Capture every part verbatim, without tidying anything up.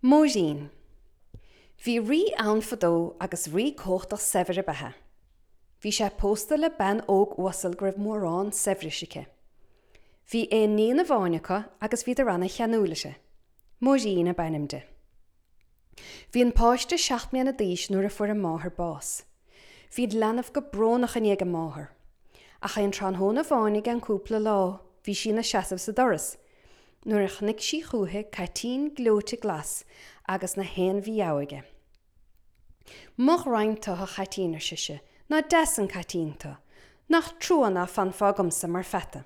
Máirín. Bhí rí ann fadó agus rí cumhachtach saibhir ab ea é. Bhí sé pósta le bean óg uasal go raibh mórán saibhris aici. Bhí aon níon amháin acu agus bhíodar ana-cheanúil uirthi. Máirín ab ainm di. Bhí an páiste seacht mbliana d'aois nuair a fuair a máthair bás. Bhí an leanbh go brónach i ndiaidh a máthar. Ach aon tráthnóna amháin i gceann cúpla lá bhí sí ina seasamh sa doras, nuair a chonaic sí chúichi caitín gleoite glas agus na haon mhí-ádh aige. Mo ghraidhin tu, a chaitín, ar sise, nach deas an caitín tu, nach trua ná fanfá agamsa mar pheata.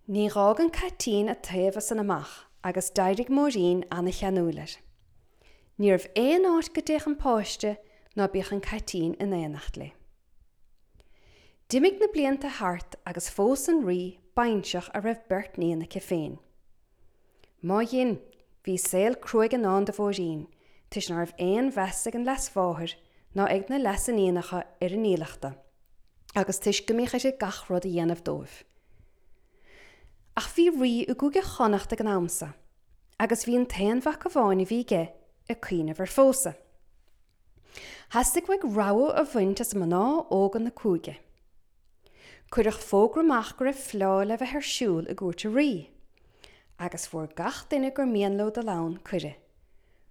Ní dh'fhág an caitín a taobh as san amach agus d'éirigh Máirín ana-cheanúil air. Ní raibh aon áit go dtéadh an páiste ná bíodh an caitín in éineacht léi. D'imigh na blianta thart agus phós an rí bainseach a raibh beirt níon aici féin. Má dhein, bhí saol cruaidh i ndán do Mháirín, toisc ná raibh aon mheas ag an leasmháthair ná ag na leasiníonacha ar a ndílleachta, agus toisc go mbíodh uirthi gach rud a dhéanamh dóibh. Ach bhí rí i gCúige Chonnacht ag an am so, agus bhí an t-aon mhac amháin a bhí aige ag cuimhneamh ar phósadh. Theastaigh uaidh rogha a bhaint as mná óga na cúige. Cuireadh fógra amach go raibh fleá le bheith ar siúl i gcúirt an rí, agus fuair gach duine gur mian leo dul ann cuireadh,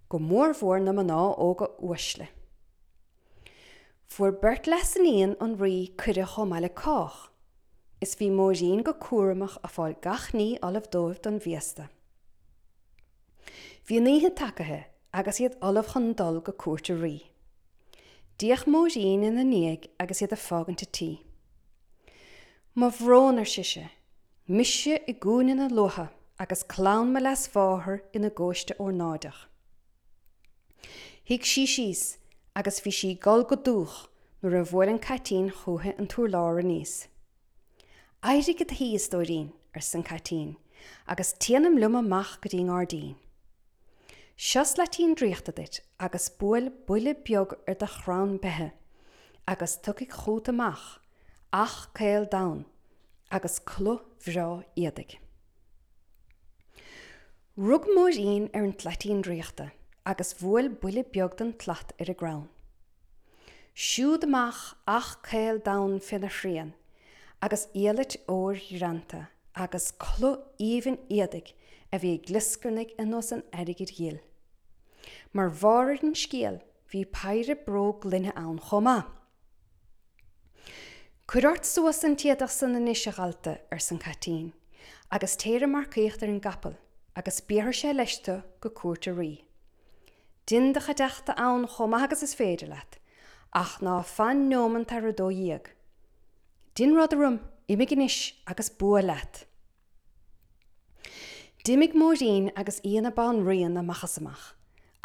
go mórmhór na mná óga uaisle. Fuair beirt leasiníon an rí cuireadh chomh maith le cách, is bhí Máirín go cúramach ag fáil gach ní ullamh dóibh don bhféasta. Bhí an oíche tagaithe agus iad ullamh chun dul go cúirt an rí. D'fhéach Máirín ina ndiaidh agus iad ag fágaint an tí. Mo bhrón, ar sise, mise i gcúinne na luatha agus clann mo leasmháthar ina gcóiste ornáideach. Shuigh sí síos agus bhí sí ag gol go dúch nuair a bhuail an caitín chúichi an t-urlár aníos. Éirigh i do shuí, a stóirín, arsa an caitín, agus téanam liom amach go dtí an ngairdín. Seo slaitín draíochta duit agus buail buille beag ar do chrann beithe agus tiocfaidh chugat amach each caol donn agus culaith bhreá éadaigh. Rug Máirín ar an tslaitín draíochta agus bhuail buille beag den tslat ar an gcrann. Siúd amach each caol donn féna shrian agus iallait óir ghreanta agus culaith aoibhinn éadaigh a bhí ag glioscarnaigh ar nós an airgid ghil. Mar bharr ar an scéal bhí péire bróg gloine ann chomh maith. Cuir ort suas an t-éadach san anois, a dhalta, arsa an caitín, agus téir ag marcaíocht ar an gcapall agus béarfaidh sé leis tu go cúirt an rí. Dein do chuideachta ann chomh maith agus is féidir leat, ach ná fan neomant thar a dó dhéag. Dein rud orm, imigh anois agus bua leat. D'imigh Máirín agus í ina banríon amach is amach,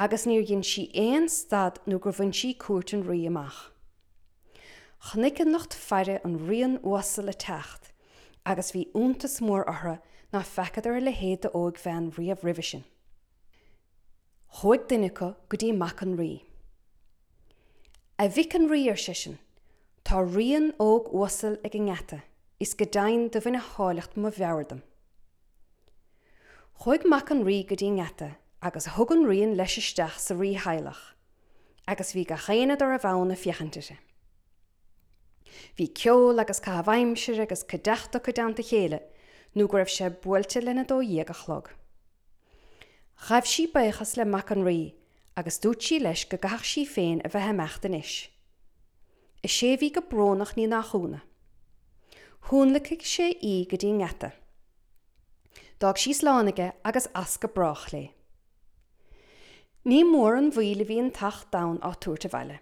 agus níor dhein sí aon stad nó gur bhain sí cúirt an rí amach. Chonaic an lucht faire an ríon uasal ag teacht agus bhí iontas mór orthu ná feacadar a leithéid d'óigbhean riamh roimhe sin. Chuaigh duine acu go dtí mac an rí. A mhic an rí, ar seisean, tá ríon óg uasal ag an ngeata is go deimhin do bhain a háilleacht mo mheabhair dom. Chuaigh mac an rí go dtí an ngeata agus thug an ríon leis isteach sa rítheaghlach agus bhí gach éinne dá raibh ann ag féachaint uirthi. Bhí ceol agus caitheamh aimsire agus cuideachta acu i dteannta a chéile nó go raibh sé buailte lena dó dhéag a chlog. Ghabh sí buíochas le mac an rí agus dúirt sí leis go gcaithfeadh sí féin a bheith ag imeacht anois. Is é a bhí go brónach ní nach ionadh. Thionlacaigh sé í go dtí an ngeata. D'fhág sí slán aige agus as go brách léi. Ní mór an mhoill a bhí an t-each donn á tabhairt abhaile.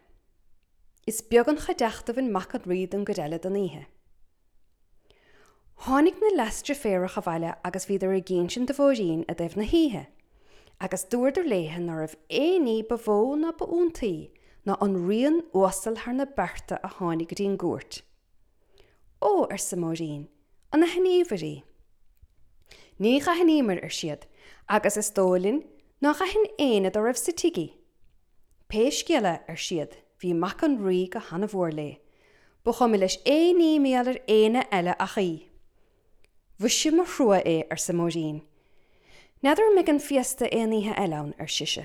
Is beag an chuideachta a bhain mac an rí don gcuid eile den oíche. Tháinig na leasdeirféaracha abhaile agus bhíodar ag insint do Mháirín i dtaobh na hoíche, agus dúradar léithe ná raibh aon ní ba mhó ná ba iontaí ná an ríon uasal thar na bearta a tháinig go dtí an gcúirt. Ó, arsa Máirín, an aithníobhair í? Ní dh'aithníomair, ar siad, agus is dóigh linn nár aithin éinne dá raibh sa tigh í. Pé scéal é, ar siad, bhí mac an rí go hana-mhór léi. Ba chuma leis aon ní mar gheall ar éinne eile ach í. Mhuise mo thrua é, arsa Máirín. N'fheadar an mbeidh an féasta aon oíche eile ann, ar sise.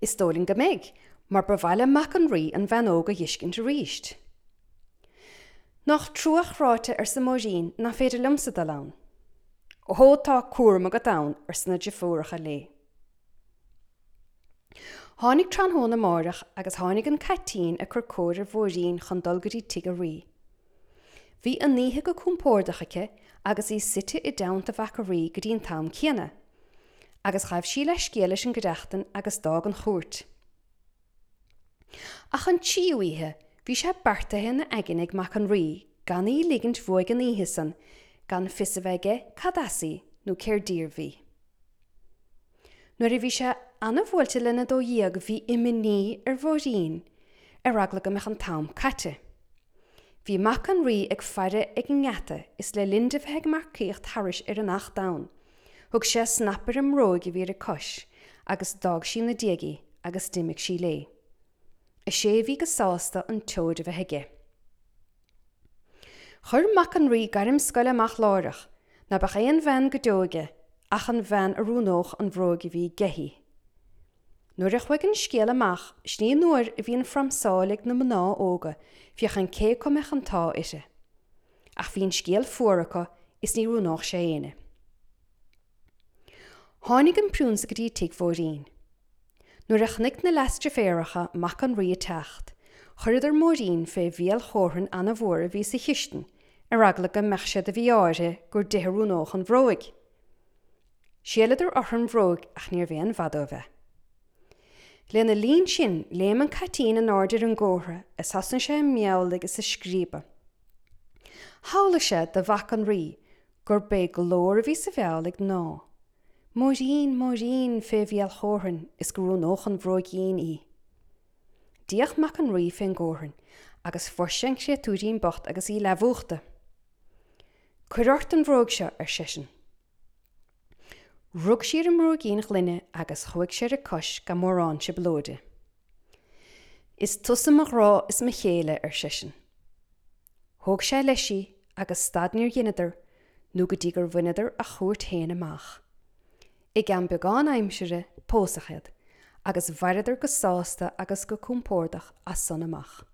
Is dóigh linn go mbeidh, mar ba mhaith le mac an Rí an bhean óg a dh'fheiscint arís. Nach trua chráite, arsa Máirín, nach féidir liomsa dul ann. Ó tá cúram agat ann, arsa na deirfiúracha léi. Tháinig tráthnóna amárach agus tháinig an caitín ag cur cóir ar Mháirín chun dul go dtí tigh an Rí. Bhí an oíche go compordach aici agus í suite i dteannta mhac an Rí go dtí an t-am céanna, agus ghabh sí leithscéal leis an gcuideachtain agus d'fhág an chúirt. Ach an tríú oíche, bhí sé beartaithe ina aigne ag mac an Rí gan í ligint uaidh an oíche san gan fios a bheith aige cad as í nó cér díobh í. Nuair a bhí sé ana-bhuailte lena dó dhéag bhí imní ar Mháirín ar eagla go mbeadh an t-am caite. Bhí mac an Rí ag faire ag an ngeata is le linn di bheith ag marcaíocht thairis ar an each donn, thug sé snap ar an mbróig a bhí ar a cois agus d'fhág sí ina diaidh í agus d'imigh sí léi. Is é a bhí go sásta an tseoid a bheith aige. Chuir mac an Rí gairm scoile amach láithreach ná beadh aon bhean go deo aige ach an bhean a roghnódh an bhróig a bhí aige. Nuair a chuaigh an scéal amach, sin í an uair a bhí an phramsáil ag na mná óga féachaint cé acu a mbeadh an t-ádh uirthi. Ach bhí an scéal fuar acu is ní roghnódh sé éinne. Tháinig an priúnsa go dtí tigh Mháirín. Nuair a chonaic na leasdeirféaracha mac an Rí ag teacht, chuireadar Máirín fé bhéal chómhrainn ana-mhór a bhí sa chistin ar eagla go mbeadh sé de mhí-ádh uirthi gur di a roghnódh an bhróig. Shéileadar orthu an bhróig ach níorbh aon mhaith dóibh é. Lena linn sin, léim an caitín in airde ar an gcófra is thosnaigh sé ag meabhlaigh is ag scríobadh. Shamhlaigh sé do mhac an Rí gurb é glór a bhí sa mheabhlaigh ná, Máirín, Máirín, fé bhéal chómhrainn is go roghnódh an bhróigín í. D'fhéach mac an Rí fén gcómhrainn agus fuair sé an créatúirín bocht agus í leathmhúchta. Cuir ort an bhróig seo, ar seisean. Rug sí ar an mbróigín ghloine agus chuaigh sé ar a cois gan mórán trioblóide. Is tusa mo ghrá is mo chéile, ar seisean. Thóg sé leis í agus stad níor dheineadar nó go dtí gur bhaineadar a chúirt féin amach. I gceann beagán aimsire pósadh iad agus mhaireadar go sásta agus go compordach as san amach.